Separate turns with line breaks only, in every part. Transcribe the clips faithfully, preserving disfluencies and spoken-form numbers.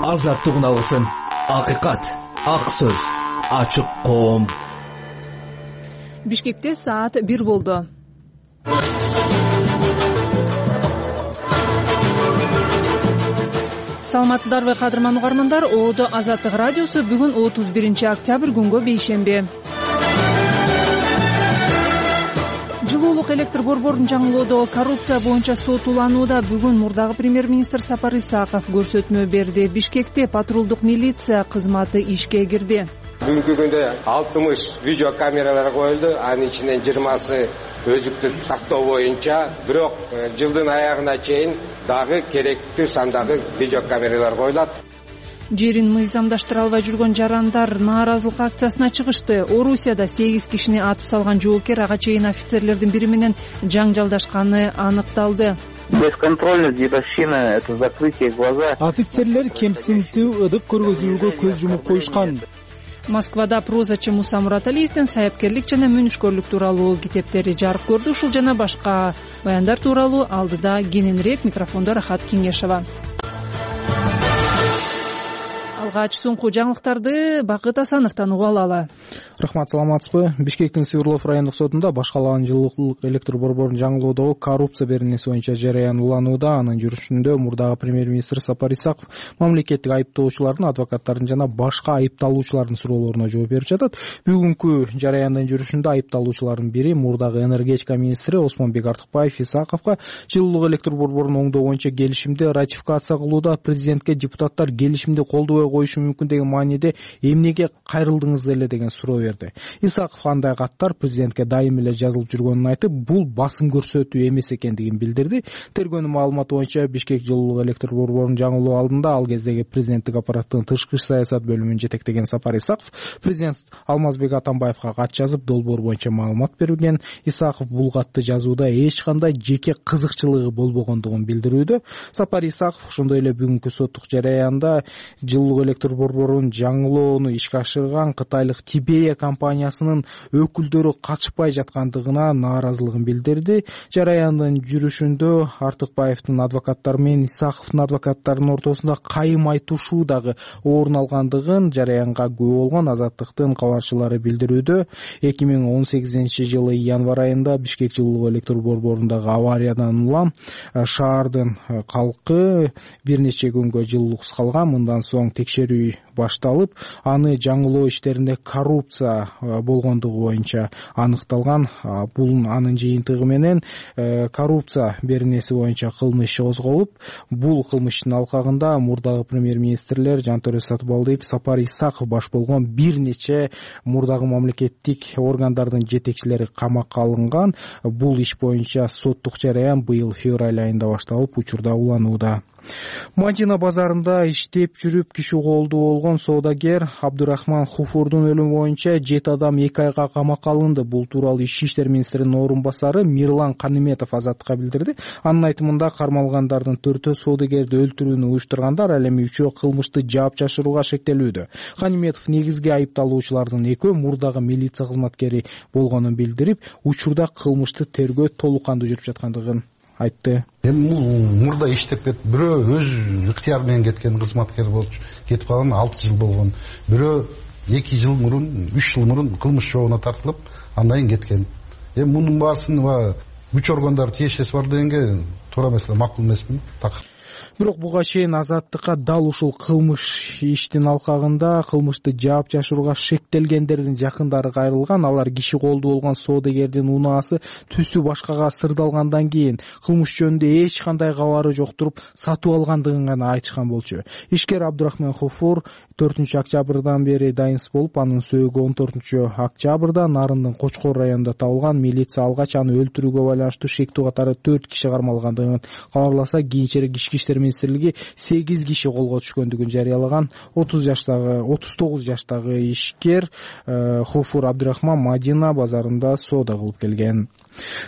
азаттыгын алсын. Акыйкат, ак сөз, ачык коом.
Бишкекте саат бир болду. Саламатсыздарбы кадырман угармандар? Оодо Азаттык радиосу бүгүн отуз биринчи октябрь күнгө бейшемби. Жылуулук электр борборун жаңылоодо коррупция боюнча сот уланууда. Бүгүн мурдагы премьер-министр Сапар Исаков көрсөтмө берди. Бишкекте патрулдук милиция кызматы ишке кирди.
Бүгүнкү күндө алтымыш видео камералар коюлду. Анын ичинен жыйырмасы өзүктү тактоо боюнча, бирок жылдын аягына чейин дагы керектүү сандагы видео камералар коюлат.
Жерин мыйзамдаштыра албай жүргөн жарандар нааразылык акциясына чыгышты. Орусияда сегиз кишини атып салган жоокер ага чейин офицерлердин бири менен жаңжалдашканы аныкталды.
Бесконтрольность дедовщина — это закрытие глаза.
Офицерлер кемсинтүү ыдык көргөзүүгө көз жумуп коюшкан.
Москвада прозачы Муса Мураталиевдин саяпкерлик жана мүйнүшкөрлүк тууралуу китептери жарык көрдү. Ушул жана башка баяндар тууралуу алдыда кененирээк. Микрофондо Рахат Кеңешова. Алгач соңку жаңылыктарды Бакыт Асановдон угуп алалы.
Рахмат, саламатсызбы? Бишкектин Свердлов райондук сотунда башкалаган жылуулук электр борборун жаңылоодогу коррупция беренеси боюнча жараян уланууда. Анын жүрүшүндө мурдагы премьер-министр Сапар Исаков мамлекеттик айыптоочулардын, адвокаттардын жана башка айыпталуучулардын суроолоруна жооп берип жатат. Бүгүнкү жараяндын жүрүшүндө айыпталуучулардын бири мурдагы энергетика министри Осмонбек Артыкбаев Исаковго жылуулук электр борборун оңдоо боюнча келишимди ратификация кылууда президентке депутаттар келишимди колдобой коюшу мүмкүн деген мааниде эмнеге кайрылдыңыз эле деген суроо берди. Исаков андай каттар президентке дайым эле жазылып жүргөнүн айтып, бул басым көрсөтүү эмес экендигин билдирди. Тергөөнүн маалыматы боюнча Бишкек жылуулук электр борборун жаңылоо алдында ал кездеги президенттик аппараттын тышкы иш саясат бөлүмүн жетектеген Сапар Исаков президент Алмазбек Атамбаевга кат жазып, долбоор боюнча маалымат берген. Исаков бул катты жазууда эч кандай жеке кызыкчылыгы болбогондугун билдирүүдө. Сапар Исаков ошондой эле бүгүнкү соттук жараянда жылуулук электр борборун жаңылоону ишке ашырган кытайлык Тибея компаниясынын өкүлдөрү катышпай жаткандыгына нааразылыгын билдирди. Жараяндын жүрүшүндө Артыкбаевдин адвокаттары менен Исаковдун адвокаттарынын ортосунда кайым айтышуу дагы орун алгандыгын жараянга күбө болгон Азаттыктын кабарчылары билдирүүдө. эки миң он сегизинчи жылы январь айында Бишкек жылуулук электр борборундагы авариядан улам шаардын калкы бир нече күнгө жылуулуксуз калган. Мындан соң текшерүү башталып, аны жаңылоо иштеринде коррупция болгондугу боюнча аныкталган. Бул анын жыйынтыгы менен коррупция беренеси боюнча кылмыш козголуп, бул кылмыштын алкагында мурдагы премьер-министрлер Жантөре Сатыбалдиев, Сапар Исаков баш болгон бир нече мурдагы мамлекеттик органдардын жетекчилери камакка алынган. Бул иш боюнча соттук жараян быйыл февраль айында башталып, учурда уланууда. Мадина базарында иштеп жүрүп киши колду болгон соодагер Абдурахман Хуфурдун өлүмү боюнча жети адам эки айга камакка алынды. Бул тууралуу Ички иштер министринин орун басары Мирлан Каныметов Азаттыкка билдирди. Анын айтымында кармалгандардын төртөө соодагерди өлтүрүүнү уюштургандар, ал эми үчөө кылмышты жаап-чашырууга шектелүүдө. Каныметов негизги айыпталуучулардын экөө мурдагы милиция кызматкери болгонун билдирип, учурда кылмышты тергөө толук кандуу жүрүп жаткандыгын айтты.
Эми мурда иштеп кетип, бирөө өз ыктыяры менен кеткен кызматкер болуп кетип калган, алты жыл болгон. Бирөө эки жыл мурун, үч жыл мурун кылмыш жообуна тартылып, андан кийин кеткен. Эми мунун баарысын күч органдары тиешеси бар дегенге туура эмес, макул эмесмин. Так.
Бирок буга чейин Азаттыкка дал ушул кылмыш иштин алкагында кылмышты жаап-чашырууга шектелгендердин жакындары кайрылган. Алар киши колду болгон соодагердин унаасы түсү башкага сырдалгандан кийин кылмыш жөнүндө эч кандай кабары жок туруп сатып алгандыгын гана айтышкан болчу. Ишкер Абдурахман Хуфур төртүнчү октябрдан бери дайынсыз болуп, анын сөөгү он төртүнчү октябрда Нарындын Кочкор районунда табылган. Милиция алгач аны өлтүрүүгө байланыштуу шектүү катары төрт киши кармалгандыгын кабарласа, кийинчерээк Ички иштер министрлиги сегиз киши колго түшкөндүгүн жарыялаган. отуз жаштагы отуз тогуз жаштагы ишкер Хуфур Абдурахман Мадина базарында соода кылып келген.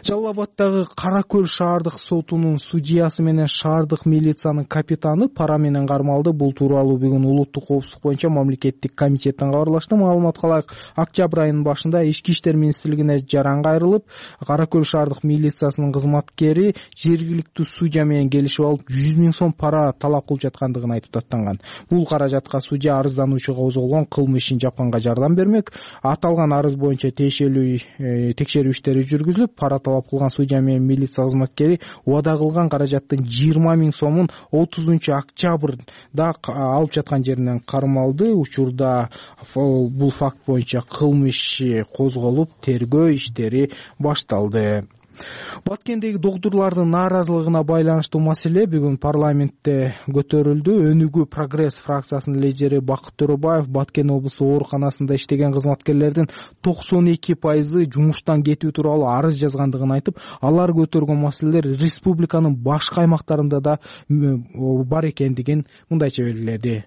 Жалал Абаддагы Кара Көл шаардык сотунун судьясы менен шаардык милициянын капитаны пара менен кармалды. Бул тууралуу бүгүн улуттук коопсуздук боюнча мамлекеттик комитеттен кабарлашты. Маалыматка ылайык, октябрь айынын башында Ички иштер министрлигине жаран кайрылып, Кара Көл шаардык милициясынын кызматкери жергиликтүү судья менен келишип алып жүз миң сом пара талап кылып жаткандыгын айтып даттанган. Бул каражатка судья арыздануучуга козголгон кылмыш ишин жапканга жардам бермек. Аталган арыз боюнча тиешелүү текшерүү иштери жүргүзүлүп, пара талап кылган судья менен милиция кызматкери убада кылган каражаттын жыйырма миң сомун отузунчу октябрда алып жаткан жеринен кармалды. Учурда бул факт боюнча кылмыш иши козголуп, тергөө иштери башталды. Баткендеги доктурлардын нааразылыгына байланыштуу маселе бүгүн парламентте көтөрүлдү. Өнүгүү Прогресс фракциясынын лидери Бакыт Төрөбаев Баткен облустук ооруканасында иштеген кызматкерлердин токсон эки пайызы жумуштан кетүү тууралуу арыз жазгандыгын айтып, алар көтөргөн маселелер республиканын башка аймактарында да бар экендигин мындайча белгиледи.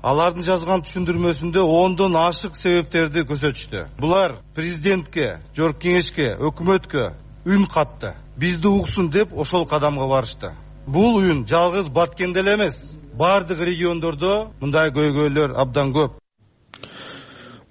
Алардын жазган түшүндүрмөсүндө ондон ашык себептерди көрсөтүштү. Булар президентке, жогорку кеңешке, өкмөткө үн катты. Бизди уксун деп ошол кадамга барышты. Бул үн жалгыз Баткенде эле эмес, бардык региондордо мындай көйгөйлөр абдан көп.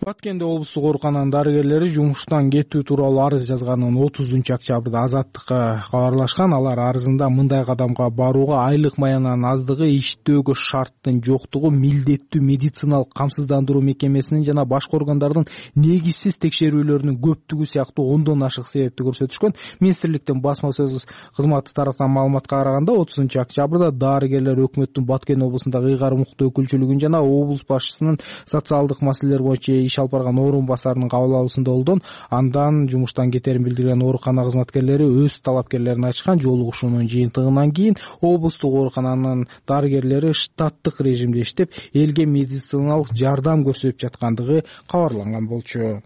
Баткенде облустук оорукананын дарыгерлери жумуштан кетүү тууралуу арыз жазганын отузунчу октябрда Азаттыкка кабарлашкан. Алар арызында мындай кадамга барууга айлык маянанын аздыгы, иштөөгө шарттын жоктугу, милдеттүү медициналык камсыздандыруу мекемесинин жана башка органдардын негизсиз текшерүүлөрүнүн көптүгү сыяктуу ондон ашык себепти көрсөтүшкөн. Министрликтин басма сөз кызматы тараткан маалыматка караганда отузунчу октябрда дарыгерлер өкмөттүн Баткен облусундагы ыйгарым укуктуу өкүлчүлүгүн жана облус башчысынын социалдык маселелер боюнча иш алып барган орун басарынын кабыл алуусунда болдон. Андан жумуштан кетерин билдирген оорукана кызматкерлери өз талапкерлерин ачкан. Жолугушуунун жыйынтыгынан кийин облустук оорукананын дарыгерлери штаттык режимде иштеп, элге медициналык жардам көрсөтүп жаткандыгы кабарланган болчу.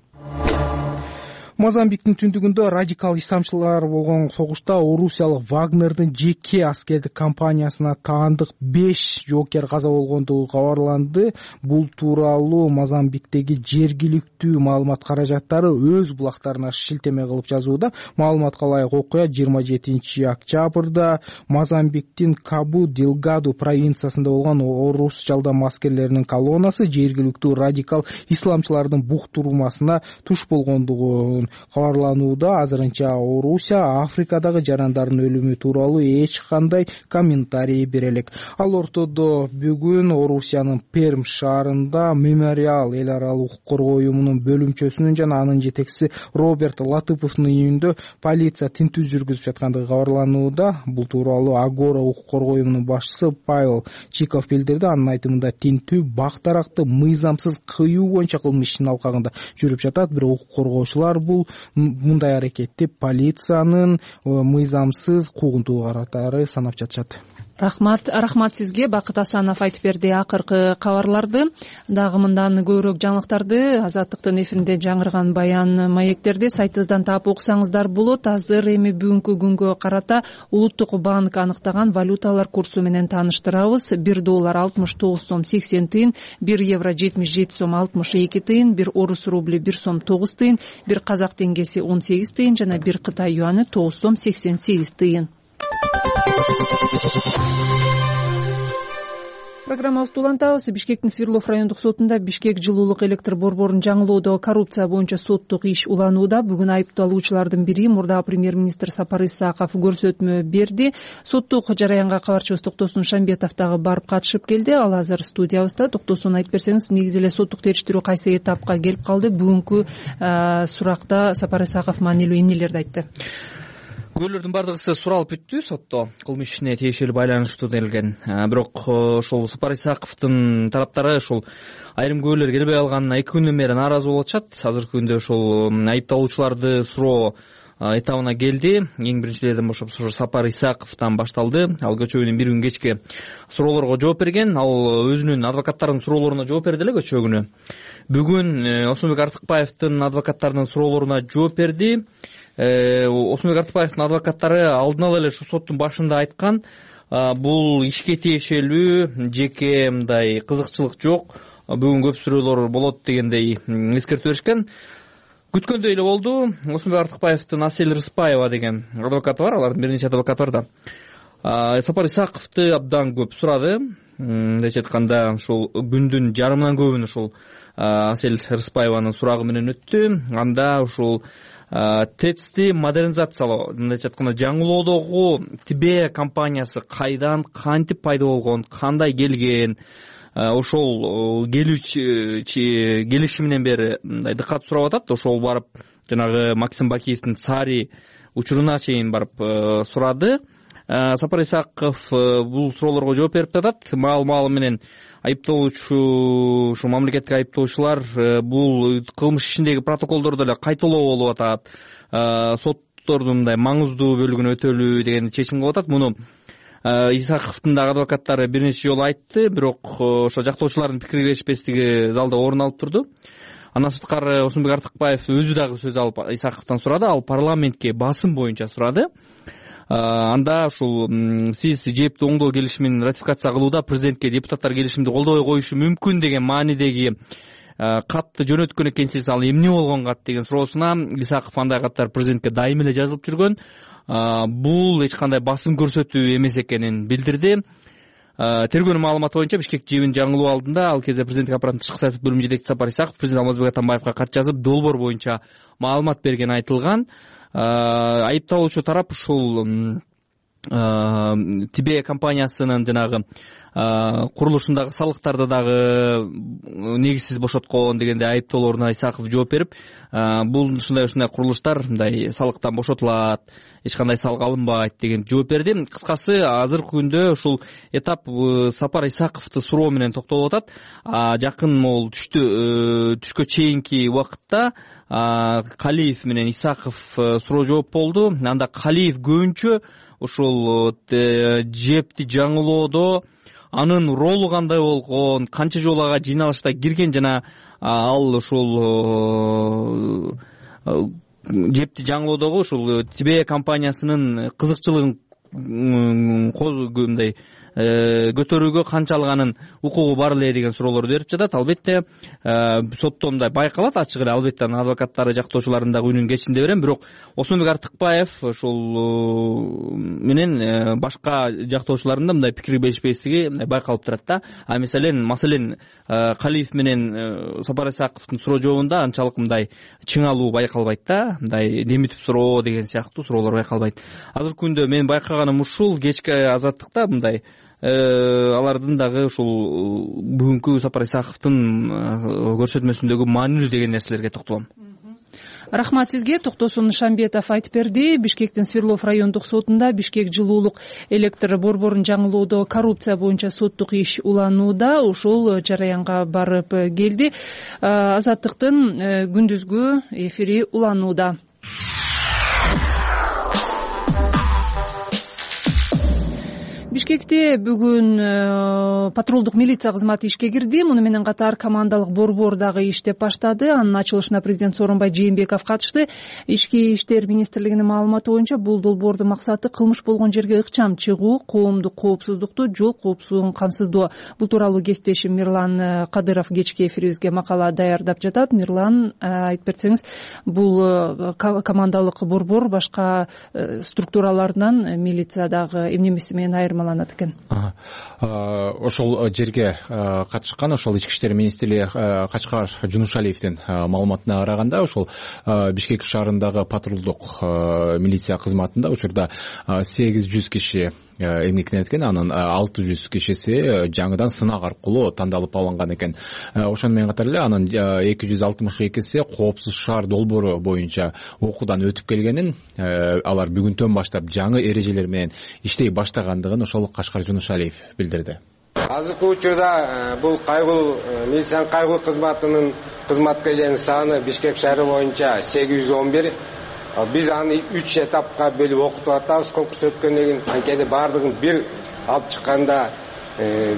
Мозамбиктин түндүгүндө радикал исламчылар болгон согушта орусиялык Вагнердин жеке аскердик компаниясына таандык беш жоокер каза болгондугу кабарланды. Бул тууралуу Мозамбиктеги жергиликтүү маалымат каражаттары өз булактарына шилтеме кылып жазууда. Маалыматка ылайык, окуя жыйырма жетинчи октябрда Мозамбиктин Кабу Делгаду провинциясында болгон орус жалдам аскерлеринин колоннасы жергиликтүү радикал исламчылардын буктурмасына туш болгондугу кабарланууда. Азырынча Орусия Африкадагы жарандардын өлүмү тууралуу эч кандай комментарий бере элек. Ал ортодо бүгүн Орусиянын Перм шаарында Мемориал эл аралык укук коргоо уюмунун бөлүмчөсүнүн жана анын жетекчиси Роберт Латыповдун үйүндө полиция тинтүү жүргүзүп жаткандыгы кабарланууда. Бул тууралуу Агора укук коргоо уюмунун башчысы Павел Чиков билдирди. Анын айтымында тинтүү бактаракты мыйзамсыз кыюу боюнча кылмыш ишинин алкагында жүрүп жатат. Бирок укук коргоочулар бул мындай аракетти полициянын мыйзамсыз куугунтуу катары санап жатышат.
Рахмат, рахмат сизге. Бакыт Асанов айтып берди акыркы кабарларды. Дагы мындан көбүрөөк жаңылыктарды Азаттыктын эфиринде жаңырган баян маектерди сайтыбыздан таап окусаңыздар болот. Азыр эми бүгүнкү күнгө карата Улуттук банк аныктаган валюталар курсу менен тааныштырабыз. бир доллар алтымыш тогуз сом сексен тыйын, бир евро жетимиш жети сом алтымыш эки тыйын, бир орус рубли бир сом тогуз тыйын, бир казак теңгеси он сегиз тыйын жана бир Кытай юаны тогуз сом сексен сегиз тыйын. Программабызды улантабыз. Бишкектин Свердлов райондук сотунда Бишкек жылуулук электр борборун жаңылоодо коррупция боюнча соттук иш уланууда. Бүгүн айыпталуучулардын бири мурдагы премьер-министр Сапар Исаков көрсөтмө берди. Соттук жараянга кабарчыбыз Токтосун Шамбетов дагы барып катышып келди. Ал азыр студиябызда. Токтосун, айтып берсеңиз, негизи эле соттук териштирүү кайсы этапка келип калды? Бүгүнкү суракта Сапар Исаков маанилүү эмнелерди айтты?
Күбөлөрдүн бардыгысы суралып бүттү сотто, кылмыш ишине тиешелүү байланыштуу делген. Бирок ошол Сапар Исаковдун тараптары ошол айрым күбөлөр келбей калганына эки күндөн бери нааразы болуп атышат. Азыркы күндө ошол айыпталуучуларды суроо этабына келди. Эң биринчилерден бошоп ошо Сапар Исаковдон башталды. Ал көчөгүнүн бир күн кечке суроолорго жооп берген. Ал өзүнүн адвокаттарынын суроолоруна жооп берди эле көчө күнү. Бүгүн Осмонбек Артыкбаевдин адвокаттарынын суроолоруна жооп берди. Осмонбек Артыкбаевдин адвокаттары алдын ала эле ушу соттун башында айткан, бул ишке тиешелүү жеке мындай кызыкчылык жок, бүгүн көп суроолор болот дегендей эскертип беришкен. Күткөндөй эле болду. Осмонбек Артыкбаевдин Асель Рыспаева деген адвокаты бар, алардын бир нече адвокаты бар да. Сапар Исаковду абдан көп сурады. Мындайча айтканда ушул күндүн жарымынан көбүн ушул Асель Рыспаеванын сурагы менен өттү. Анда ушул тэцти модернизациялоо, мындайча айтканда жаңылоодогу Тибе компаниясы кайдан, кантип пайда болгон, кандай келген, ошол келүүчү келиши менен бери мындай дыккат сурап атат. Ошол барып жанагы Максим Бакиевдин Цари учуруна чейин барып сурады. Сапар Исаков бул суроолорго жооп берип атат. Маал-маалы менен айыптоочу, ушу мамлекеттик айыптоочулар бул кылмыш ишиндеги протоколдорду эле кайталоо болуп атат, соттордун мындай маңыздуу бөлүгүн өтөлүү деген чечим кылып атат. Муну Исаковдун дагы адвокаттары бир нече жолу айтты, бирок ошо жактоочулардын пикири келишпестиги залда орун алып турду. Андан сырткары Осмонбек Артыкбаев өзү дагы сөз алып Исаковдон сурады. Ал парламентке басым боюнча сурады. Анда ушул сиз жээпти оңдоо келишимин ратификация кылууда президентке депутаттар келишимди колдобой коюшу мүмкүн деген маанидеги катты жөнөткөн экенсиз, ал эмне болгон кат деген суроосуна Исаков андай каттар президентке дайыма эле жазылып жүргөн, бул эч кандай басым көрсөтүү эмес экенин билдирди. Тергөөнүн маалыматы боюнча Бишкек жибин жаңылоо алдында ал кезде президенттик аппараттын тышкы саясат бөлүмү жетекчиси Сапар Исаков президент Алмазбек Атамбаевга кат жазып, долбоор боюнча маалымат бергени айтылган. Айыпталуучу тарап ушул Тибе компаниясынын жанагы курулушундагы салыктарды дагы негизсиз бошоткон дегенде айыптоолоруна Исаков жооп берип, бул ушундай ушундай курулуштар мындай салыктан бошотулат, эч кандай салык алынбайт деген жооп берди. Кыскасы, азыркы күндө ушул этап Сапар Исаковду суроо менен токтолуп атат. Жакын могул түштү түшкө чейинки убакытта Калиев менен Исаков суроо жооп болду. Анда Калиев көбүнчө ушул жепти жаңылоодо анын ролу кандай болгон, канча жолу ага жыйналышта кирген жана ал ушул жепти жаңылоодогу ушул Тибе компаниясынын кызыкчылыгын мындай көтөрүүгө канчалык анын укугу бар эле деген суроолорду берип жатат. Албетте сотто мындай байкалат ачык эле, албетте анын адвокаттары жактоочулардын дагы үнүн кечинде берем, бирок Осмонбек Артыкбаев ушул менен башка жактоочулардын да мындай пикир беришпестиги байкалып турат да. А маселен маселен Калиев менен Сапар Исаковдун суроо жообунда анчалык мындай чыңалуу байкалбайт да, мындай демитип суроо деген сыяктуу суроолор байкалбайт. Азыркы күндө мен байкаганым ушул, кечки азаттыкта мындай алардын дагы ушул бүгүнкү Сапар Исаковдун көрсөтмөсүндөгү маанилүү деген нерселерге токтолом.
Рахмат сизге. Токтосун Шамбетов айтып берди. Бишкектин Свердлов райондук сотунда Бишкек жылуулук электр борборун жаңылоодо коррупция боюнча соттук иш уланууда. Ушул жараянга барып келди. Азаттыктын күндүзгү эфири уланууда. Бишкекте бүгүн патрулдук милиция кызматы ишке кирди. Муну менен катар командалык борбор дагы иштеп баштады. Анын ачылышына президент Сооронбай Жээнбеков катышты. Ички иштер министрлигинин маалыматы боюнча бул долбоордун максаты кылмыш болгон жерге ыкчам чыгуу, коомдук коопсуздукту, жол коопсуздугун камсыздоо. Бул тууралуу кесиптешим Мирлан Кадыров кечки эфирибизге макала даярдап жатат. Мирлан, айтып берсеңиз, бул командалык борбор башка структуралардан милиция дагы эмнемеси менен айырмаланат?
Ошол жерге катышкан ошол ички иштер министри Качкар Жунушалиевдин маалыматына караганда, ошол Бишкек шаарындагы патрулдук милиция кызматында учурда сегиз жүз киши эмгектенет экен, анын алты жүз кишиси жаңыдан сынак аркылуу тандалып алынган экен. Ошону менен катар эле анын эки жүз алтымыш экиси коопсуз шаар долбоору боюнча окуудан өтүп келгенин, алар бүгүндөн баштап жаңы эрежелер менен иштей баштагандыгын ошол Качкар Жунушалиев билдирди.
Азыркы учурда бул кайгылуу милициянын кайгылуу кызматынын кызматкерлеринин саны Бишкек шаары боюнча сегиз жүз он бир. Биз аны үч этапка бөлүп окутуп атабыз конкурс өткөндөн кийин. Анткени баардыгын бир алып чыкканда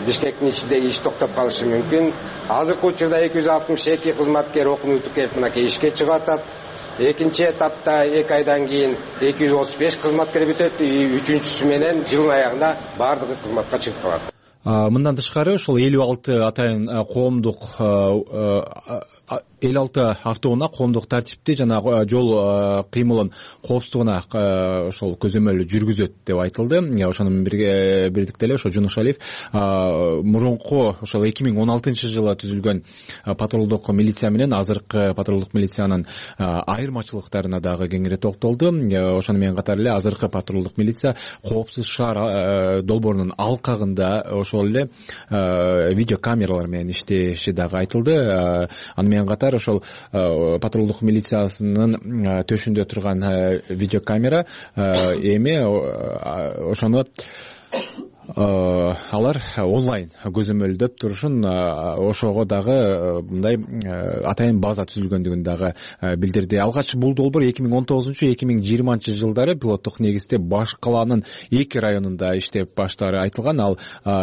Бишкектин ичиндеги иш токтоп калышы мүмкүн. Азыркы учурда эки жүз алтымыш эки кызматкер окууну бүтүп мынакей ишке чыгып атат. Экинчи этапта эки айдан кийин эки жүз отуз беш кызматкер бүтөт. Үчүнчүсү менен жылдын аягында баардыгы кызматка чыгып калат.
Мындан тышкары ошол элүү алты атайын коомдук элүү алты автоунаа коомдук тартипти жана жол кыймылын коопсуздугуна ошол көзөмөл жүргүзөт деп айтылды. Ошону менен бирдикте эле ошо Жунушалиев мурунку ошол эки миң он алтынчы жылы түзүлгөн патрулдук милиция менен азыркы патрулдук милициянын айырмачылыктарына дагы кеңири токтолду. Ошону менен катар эле азыркы патрулдук милиция коопсуз шаар долбоорунун алкагында ошол эле видеокамералар менен иштеши дагы айтылды. Аны менен катар ошол патрулдук милициясынын төшүндө турган видеокамера эми ошону алар онлайн көзөмөлдөп турушун, ошого дагы мындай атайын база түзүлгөндүгүн дагы билдирди. Алгач бул долбоор эки миң он тогузунчу эки миң жыйырманчы жылдары пилоттук негизде баш калаанын эки районунда иштеп баштаары айтылган. Ал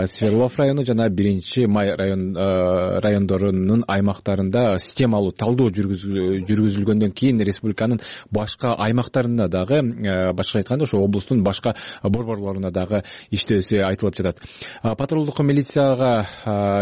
Свердлов району жана биринчи май район райондорунун аймактарында системалуу талдоо жүргүзүлгөндөн кийин республиканын башка аймактарында дагы, башка айтканда ошо облустун башка борборлоруна дагы иштөөсү айтылып жатат. Патрулдук милицияга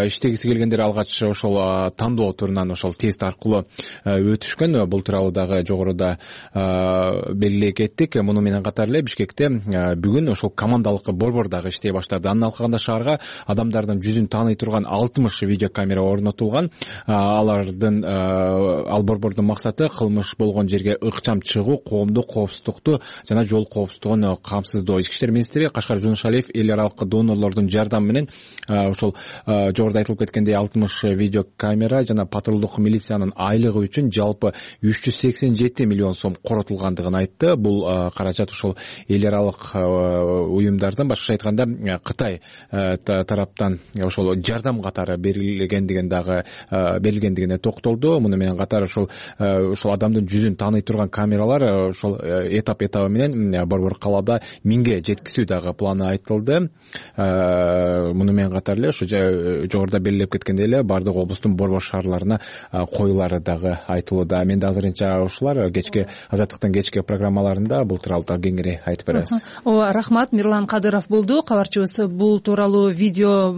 иштегиси келгендер алгач ошол тандоо турунан ошол тест аркылуу өтүшкөн. Бул тууралуу дагы жогоруда белгилей кеттик. Муну менен катар эле Бишкекте бүгүн ошол командалык борбор дагы иштей баштады. Анын алкагында шаарга адамдардын жүзүн тааный турган алтымыш видеокамера орнотулган. Алардын ал борбордун максаты кылмыш болгон жерге ыкчам чыгуу, коомдук коопсуздукту жана жол коопсуздугун камсыздоо. Ички иштер министри Кашкар Жунушалиев эл аралык донорлордун жардамы менен ошол жогоруда айтылып кеткендей алтымыш видеокамера жана патрулдук милициянын айлыгы үчүн жалпы үч жүз сексен жети миллион сом коротулгандыгын айтты. Бул каражат ошол эл аралык уюмдардан, башкача айтканда Кытай тараптан ошол жардам катары берилгендигин дагы берилгендигине токтолду. Муну менен катар ошол ошол адамдын жүзүн тааный турган камералар ошол этап этабы менен борбор калаада миңге жеткизүү дагы планы айтылды. Муну менен катар эле ошо жогоруда белгилеп кеткендей эле бардык облустун борбор шаарларына коюлары дагы айтылууда. Мен да азырынча ушулар кечки Азаттыктын кечки программаларында бул тууралуу дагы кеңири айтып беребиз. Ооба,
рахмат. Мирлан Кадыров болду кабарчыбыз. Бул тууралуу видео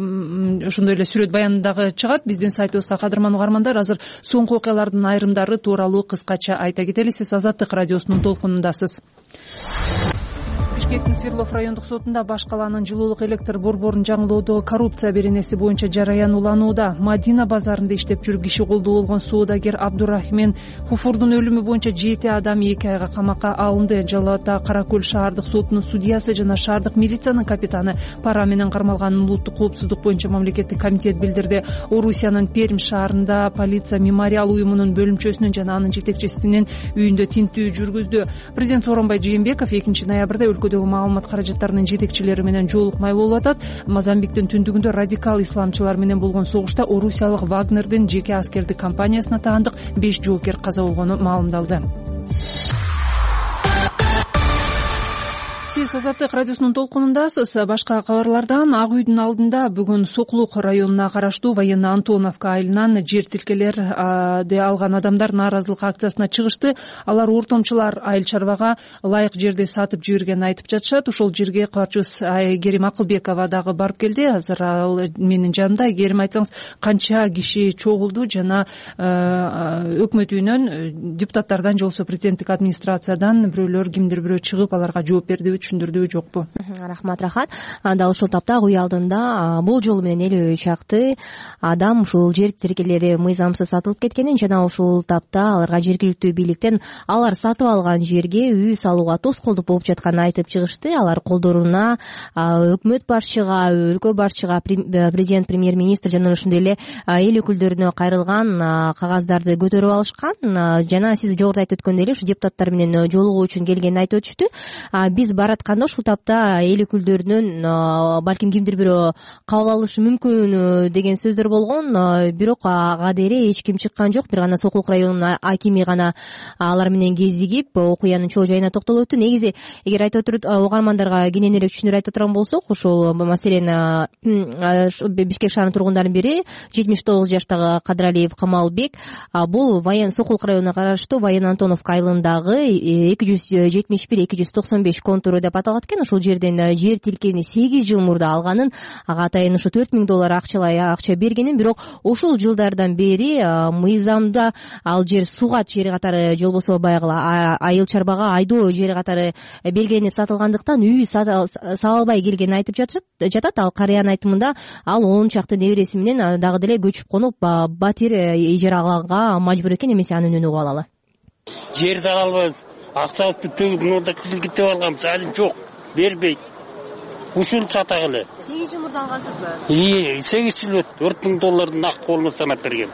ошондой эле сүрөт баян дагы чыгат биздин сайтыбызга. Кадырман угармандар, азыр соңку окуялардын айрымдары тууралуу кыскача айта кетели. Сиз Азаттык радиосунун толкунундасыз. Бишкектин Свердлов райондук сотунда баш калаанын жылуулук электр борборун жаңылоодо коррупция беренеси боюнча жараян уланууда. Мадина базарында иштеп жүрүп киши колдуу болгон соодагер Абдурахмен Хуфурдун өлүмү боюнча жети адам эки айга камакка алынды. Жалал Ата Кара-Көл шаардык сотунун судьясы жана шаардык милициянын капитаны пара менен кармалганын улуттук коопсуздук боюнча мамлекеттик комитет билдирди. Орусиянын Пермь шаарында полиция мемориал уюмунун бөлүмчөсүнүн жана анын жетекчисинин үйүндө тинтүү жүргүздү. Президент Сооронбай Жээнбеков экинчи ноябрда өлкөдөгү маалымат каражаттарынын жетекчилери менен жолукмай болуп атат. Мозамбиктин түндүгүндө радикал исламчылар менен болгон согушта орусиялык Вагнердин жеке аскердик компаниясына таандык беш жоокер каза болгону маалымдалды. Сиз Азаттык радиосунун толкунундасыз. Башка кабарлардан Ак үйдүн алдында бүгүн Сокулук районуна караштуу Военно Антоновка айылынан жер тилкелерди алган адамдар нааразылык акциясына чыгышты. Алар ортомчулар айыл чарбага ылайык жерди сатып жибергенин айтып жатышат. Ошол жерге кабарчыбыз Айгерим Акылбекова дагы барып келди. Азыр ал менин жанымда. Айгерим, айтсаңыз, канча киши чогулду жана өкмөт үйүнөн, депутаттардан же болбосо президенттик администрациядан бирөөлөр, кимдир бирөө чыгып аларга жооп бердиби, түшүндүрдүбү, жокпу?
Рахмат, рахат. Дал ушул тапта ак үй алдында бул жолу менен элүү чакты адам ушул жер тилкелери мыйзамсыз сатылып кеткенин жана ушул тапта аларга жергиликтүү бийликтен алар сатып алган жерге үй салууга тоскоолдук болуп жатканын айтып чыгышты. Алар колдоруна өкмөт башчыга, өлкө башчыга, президент, премьер-министр жана ошондой эле эл өкүлдөрүнө кайрылган кагаздарды көтөрүп алышкан. Жана сиз жогоруда айтып өткөндөй эле ушу депутаттар менен жолугуу үчүн келгенин айтып өтүштү. Биз баратканда ушул тапта эл өкүлдөрүнөн балким кимдир бирөө кабыл алышы мүмкүн деген сөздөр болгон, бирок ага дере эч ким чыккан жок. Бир гана Сокулук районунун акими гана алар менен кезигип окуянын чоо жайына токтолуп өттү. Негизи эгер айтып отуруп угармандарга кененирээк түшүнүрүп айтып турган болсок, ошол маселен Бишкек шаарынын тургундардын бири жетимиш тогуз жаштагы Кадыралиев Камалбек бул Сокулук районуна караштуу Военно Антоновка айылындагы эки жүз жетимиш бир эки жүз токсон беш контуру деп аталат экен. Ошол жерден жер тилкени сегиз жыл мурда алганын, ага атайын ушу төрт миң доллар акчалай акча бергенин, бирок ушул жылдардан бери мыйзамда ал жер сугат жери катары же болбосо баягы айыл чарбага айдоо жери катары белгиленип сатылгандыктан үй сала албай келгенин айтып жатат. Ал карыянын айтымында ал он чакты небереси менен дагы деле көчүп конуп батир ижарага мажбур экен. Эмесе анын үнүн угуп алалы.
Жерди ала албайбыз, акчабызды төгүп мында кызыл китеп алганбыз, али жок, бербейт. Ушуну сатагы эле.
сегиз жыл мурда алгансызбы?
Ии, сегиз жыл өттү. төрт миң долларды нак колума санап берген.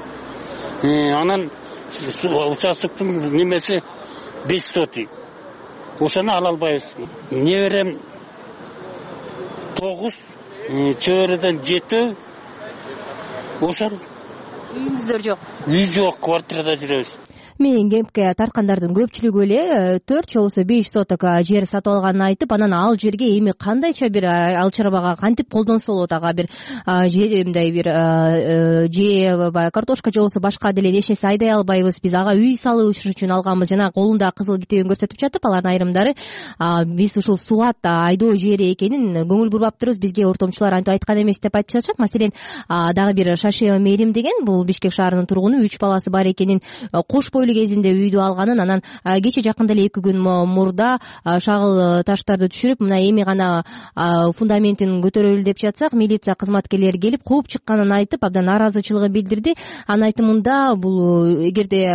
Анан участоктун немеси беш соты. Ошону ала албайбыз. Неберем тогуз, чөбөрөдөн жети. Ошол.
Үйүңүздөр жок.
Үй жок, квартирада жүрөбүз.
Менин кепке тарткандардын көпчүлүгү эле төрт же болбосо беш соток жер сатып алганын айтып, анан ал жерге эми кандайча бир ал чарбага кантип колдонсо болот, ага бир мындай бир же баягы картошка же болбосо башка деле эч нерсе айдай албайбыз, биз ага үй салуу үчүн алганбыз. Жана колунда кызыл китебин көрсөтүп жатып, алардын айрымдары биз ушул суат айдоо жери экенин көңүл бурбап турбуз, бизге ортомчулар антип айткан эмес деп айтып жатышат. Маселен, дагы бир Шаши Мерим деген, бул Бишкек шаарынын тургуну, үч баласы бар экенин, кош бойлуу кезинде үйдү алганын, анан кече жакында эле эки күн мурда шагыл таштарды түшүрүп, мына эми гана фундаментин көтөрөлү деп жатсак, милиция кызматкерлери келип кууп чыкканын айтып, абдан нааразычылыгын билдирди. Анын айтымында, бул эгерде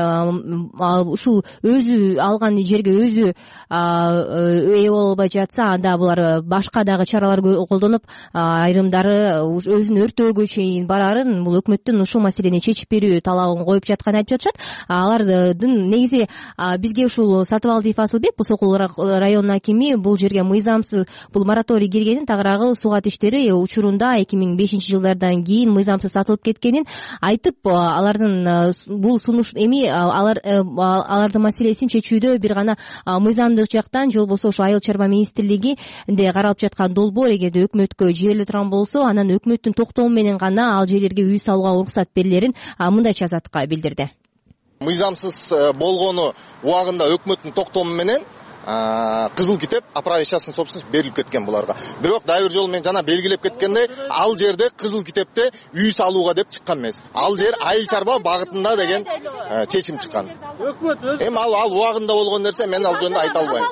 ушул өзү алган жерге өзү ээ боло албай жатса, анда булар башка дагы чаралар колдонуп, айрымдары өзүн өртөөгө чейин барарын, бул өкмөттүн ушул маселени чечип берүү талабын коюп жатканын айтып жатышат. Алар негизи бизге ушул Сатыбалдиев Асылбек, бул Сокул районунун акими, бул жерге мыйзамсыз бул мораторий киргенин, тагыраагы сугат иштери учурунда эки миң бешинчи жылдардан кийин мыйзамсыз сатылып кеткенин айтып, алардын бул сунуш эми алар алардын маселесин чечүүдө бир гана мыйзамдык жактан же болбосо ошо айыл чарба министрлигинде каралып жаткан долбоор эгерде өкмөткө жибериле турган болсо, анан өкмөттүн токтому менен гана ал жерлерге үй салууга уруксат берилерин мындайча азаттыкка билдирди.
Мыйзамсыз болгону убагында өкмөттүн токтому менен кызыл китеп оправить частный собственность берилип кеткен буларга. Бирок дайыр жол менен жана белгилеп кеткендей, ал жерде кызыл китепте үй салууга деп чыккан эмес. Ал жер айыл чарба багытында деген чечим чыккан. Эми ал ал убагында болгон нерсе, мен ал жөнүндө айта албайм.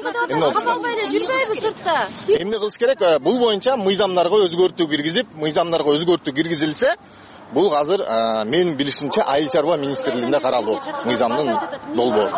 Эмне кылыш керек? Бул боюнча мыйзамдарга өзгөртүү киргизип, мыйзамдарга өзгөртүү киргизилсе, бул азыр менин билишимче айыл чарба министрлигинде каралуу мыйзамдын долбоору.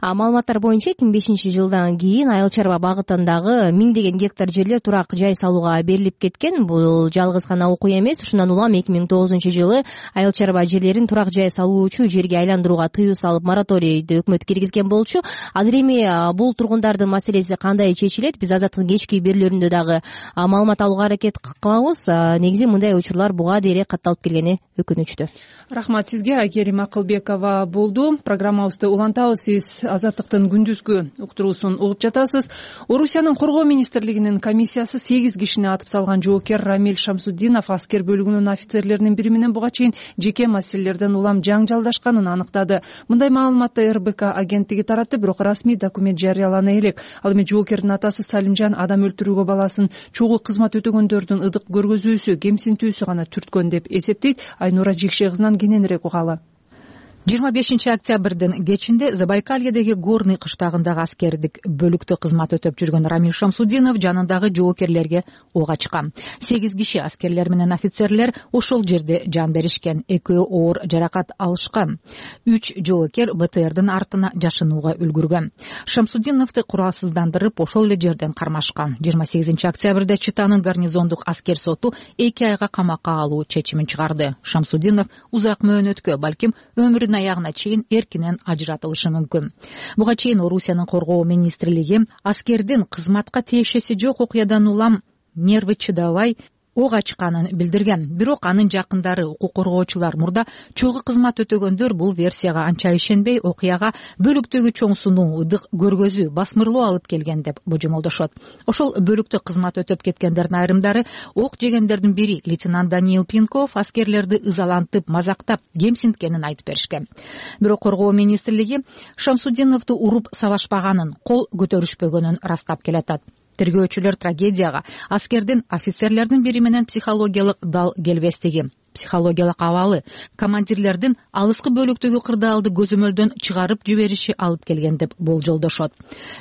Маалыматтар боюнча эки миң бешинчи жылдан кийин айыл чарба багытындагы миңдеген гектар жерлер турак жай салууга берилип кеткен. Бул жалгыз гана окуя эмес. Ушундан улам эки миң тогузунчу жылы айыл чарба жерлерин турак жай салуучу жерге айландырууга тыюу салып мораторийди өкмөт киргизген болчу. Азыр эми бул тургундардын маселеси кандай чечилет? Биз Азаттыктын кечки берүүлөрүндө дагы маалымат алууга аракет кылабыз. Негизи мындай учурлар буга дейре катталып келгени өкүнүчтүү.
Рахмат сизге. Айгерим Акылбекова болду. Программабызды улантабыз. Сиз Азаттыктын күндүзгү уктуруусун угуп жатасыз. Орусиянын коргоо министрлигинин комиссиясы сегиз кишини атып салган жоокер Рамиль Шамсуддинов аскер бөлүгүнүн офицерлеринин бири менен буга чейин жеке маселелерден улам жаңжалдашканын аныктады. Мындай маалыматты эр бэ ка агенттиги таратты, бирок расмий документ жарыялана элек. Ал эми жоокердин атасы Салимжан адам өлтүрүүгө баласын чогуу кызмат өтөгөндөрдүн ыдык көргөзүүсү, кемсинтүүсү гана түрткөн деп эсептейт. Айнура Жекше кызынан кененирээк угалы.
жыйырма бешинчи октябрдын кечинде Забайкальедеги Горный кыштагындагы аскердик бөлүктө кызмат өтөп жүргөн Рамиль Шамсуддинов жанындагы жоокерлерге ок ачкан. сегиз киши аскерлер менен офицерлер ошол жерде жан беришкен. Экөө оор жаракат алышкан. үч жоокер бэ тэ эрдин артына жашынууга үлгүргөн. Шамсуддиновду куралсыздандырып ошол эле жерден кармашкан. жыйырма сегизинчи октябрда Читанын гарнизондук аскер соту эки айга камакка алуу чечимин чыгарды. Шамсуддинов узак мөөнөткө, балким өмүрүнүн аягына чейин эркинен ажыратылышы мүмкүн. Буга чейин Орусиянын коргоо министрлиги аскердин кызматка тиешеси жок окуядан улам нерви чыдабай ок ачканын билдирген. Бирок анын жакындары, укук коргоочулар мурда чогуу кызмат өтөгөндөр бул версияга анча ишенбей, окуяга бөлүктөгү чоң сунуу, ыдык көргөзүү, басмырлоо алып келген деп божомолдошот. Ошол бөлүктө кызмат өтөп кеткендердин айрымдары ок жегендердин бири лейтенант Даниил Пинков аскерлерди ызалантып, мазактап, кемсинткенин айтып беришкен. Бирок коргоо министрлиги Шамсуддиновду уруп сабашпаганын, кол көтөрүшпөгөнүн растап келатат. тергөөчүлөр трагедияга аскердин офицерлердин бири менен психологиялык дал келбестиги, психологиялык абалы, командирлердин алыскы бөлүктөгү кырдаалды көзөмөлдөн чыгарып жибериши алып келген деп болжолдошот.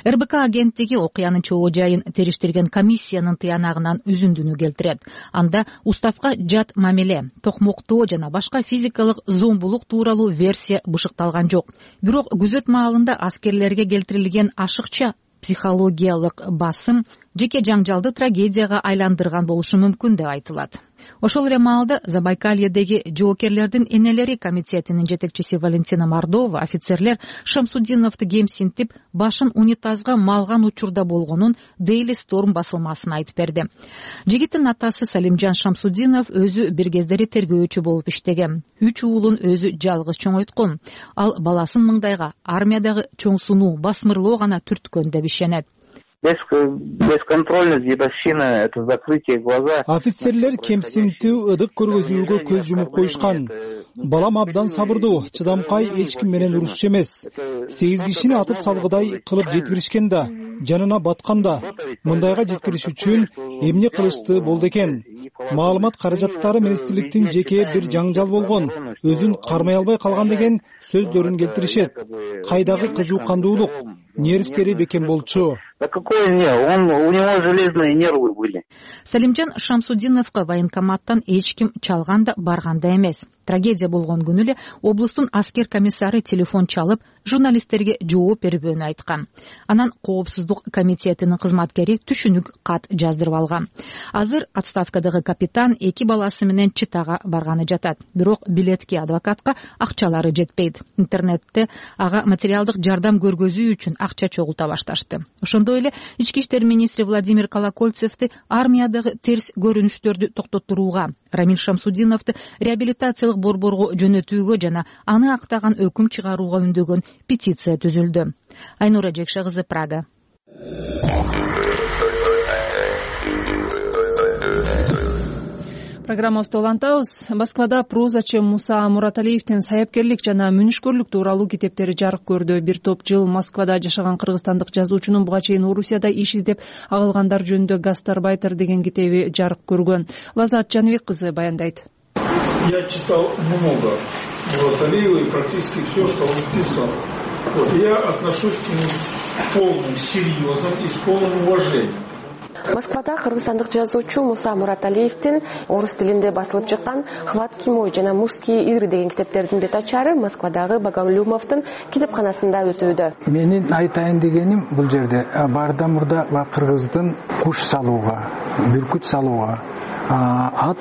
эр бэ ка агенттиги окуянын чоо жайын териштирген комиссиянын тыянагынан үзүндүнү келтирет. Анда уставка жат мамиле, токмоктоо жана башка физикалык зомбулук тууралуу версия бышыкталган жок. Бирок күзөт маалында аскерлерге келтирилген ашыкча психологиялык басым жеке жаңжалды трагедияга айландырган болушу мүмкүн деп айтылат. Ошол эле маалда Забайкальедеги жоокерлердин энелери комитетинин жетекчиси Валентина Мордова офицерлер Шамсудиновду кемсинтип, башын унитазга малган учурда болгонун Daily Storm басылмасына айтып берди. Жигиттин атасы Салимжан Шамсудинов өзү бир кездери тергөөчү болуп иштеген. Үч уулун өзү жалгыз чоңойткон. Ал баласын мыңдайга армиядагы чоң сунуу, басмырлоо гана түрткөн деп ишенет.
Бесконтрольность, дедовщина, это закрытие глаза.
Офицерлер кемсинтүү, ыдык көргөзүүгө көз жумуп коюшкан. Балам абдан сабырдуу, чыдамкай, эч ким менен урушчу эмес. Сегиз кишини атып салгыдай кылып жеткиришкен да, жанына баткан да. Мындайга жеткириш үчүн эмне кылышты болду экен? Маалымат каражаттары министрликтин жеке бир жаңжал болгон, өзүн кармай албай калган деген сөздөрүн келтиришет. Кайдагы кызуукандуулук, нервтери бекем болчу.
Да какой не, он, у него железные нервы были.
Салимжан Шамсудиновго военкоматтан эч ким чалган да барган да эмес. Трагедия болгон күнү эле облустун аскер комиссары телефон чалып, журналисттерге жооп бербөөнү айткан. Анан коопсуздук комитетинин кызматкери түшүнүк кат жаздырып алган. Азыр отставкадагы капитан эки баласы менен Читага барганы жатат. Бирок билетке адвокатка акчалары жетпейт. Интернетте ага материалдык жардам көргөзүү үчүн акча чогулта башташты. Ошондой эле ички иштер министри Владимир Колокольцевди армиядагы терс көрүнүштөрдү токтотууга, Рамиль Шамсудиновду реабилитациялык борборго жөнөтүүгө жана аны актаган өкүм чыгарууга үндөгөн петиция түзүлдү. Айнура Жекше кызы, Прага.
Программабызды улантабыз. Москвада прозачы Муса Мураталиевдин саяпкерлик жана мүнүшкөрлүк тууралуу китептери жарык көрдү. Бир топ жыл Москвада жашаган кыргызстандык жазуучунун буга чейин Орусияда иш издеп агылгандар жөнүндө Гастарбайтер деген китеби жарык көргөн. Лазат Жаныбек кызы баяндайт.
Я читал много Мураталиева и практически все, что он писал. Вот, я отношусь к нему с полным серьезом и с полным уважением.
Москвада кыргызстандык жазуучу Муса Мураталиевдин орус тилинде басылып чыккан «Хватки мой» жана «Мужские игры» деген китептердин бет ачары Москвадагы Багамлюмовдун китепканасында өтүүдө.
Менин айтайын дегеним бул жерде барда мурда кыргыздын куш салууга, бүркүт салууга, ат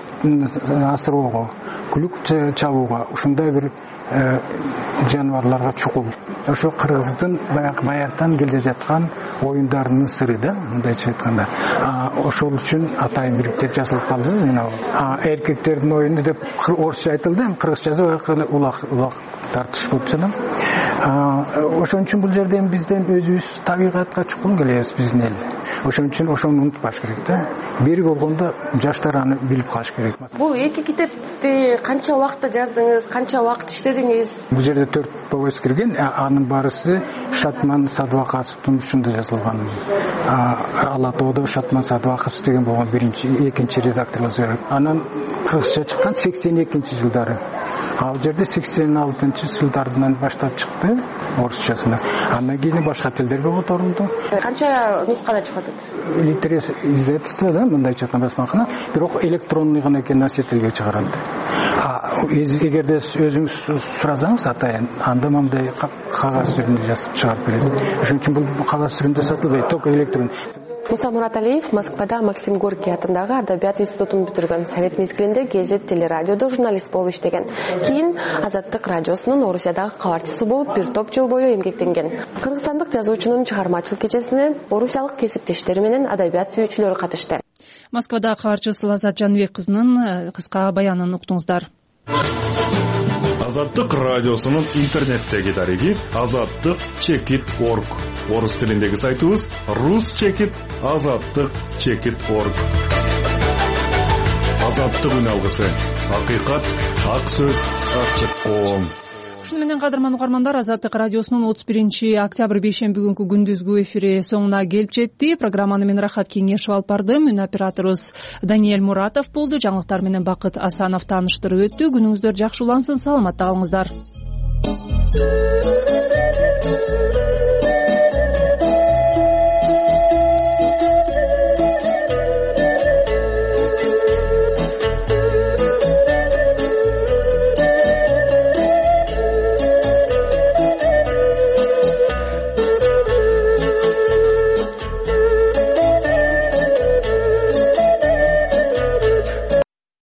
асыроого, күлүк чабууга ушундай бир жаныбарларга чукул. Ошо кыргыздын баягы баягыдан келе жаткан оюндарынын сыры да, мындайча айтканда. Ошол үчүн атайын бир китеп жазылып калды. Мына эркектердин оюну деп орусча айтылды, кыргызчасы улак улак тартыш болуп жатат. Ошон үчүн бул жерден бизден өзүбүз табигатка чукун келебиз биздин эл. Ошон үчүн ошону унутпаш керек да. Бери болгондо жаштар аны билип калыш керек.
Бул эки китепти канча убакытта жаздыңыз, канча убакыт иштедиңиз?
Бул жерде төрт повесть кирген, анын барысы Шатман Садвакасовдун учунда жазылган. Ала тоодо Шатман Садвакасов деген болгон биринчи, экинчи редакторлор. Анан кыргызча чыккан сексен экинчи жылдары. Ал жерде сексен алтынчы жылдардан баштап чыкты орусчасына. Андан кийин башка тилдерге которулду.
Канча нускада чыгат?
Литерес издательство да, мындайча айтканда басмакана, бирок электронный гана экен носительге чыгарат. А эгерде өзүңүз сурасаңыз атайын, анда мындай кагаз түрүндө жазып чыгарып берет. Ошон үчүн бул кагаз түрүндө сатылбайт, только электрон.
Муса Мураталиев Москвада Максим Горький атындагы Адабият институтун бүтүргөн. Совет мезгилинде Гезит телерадиодо журналист болуп иштеген. Кийин Азаттык радиосунун Орусиядагы кабарчысы болуп бир топ жыл бою эмгектенген. Кыргызстандык жазуучунун чыгармачылык кечесине орусиялык кесиптештери менен адабият сүйүүчүлөр катышты.
Москвада кабарчысы Лазат Жаныбек кызынын кыска баянын уктуңуздар.
Азаттык радиосунун интернеттеги дареги азаттык чекит точка орг. Орус тилиндеги сайтыбыз рус чекит азаттык чекит точка орг. Азаттык үн алгысы. Акыйкат, ак сөз, ачык коом.
ушуну менен кадырман угармандар, Азаттык радиосунун отуз биринчи октябрь бейшемби күнкү күндүзгү эфири соңуна келип жетти. Программаны мен Рахат Кеңешев алып бардым. Үн операторубуз Даниэль Муратов болду. Жаңылыктар менен Бакыт Асанов тааныштырып өттү. Күнүңүздөр жакшы улансын, саламатта калыңыздар.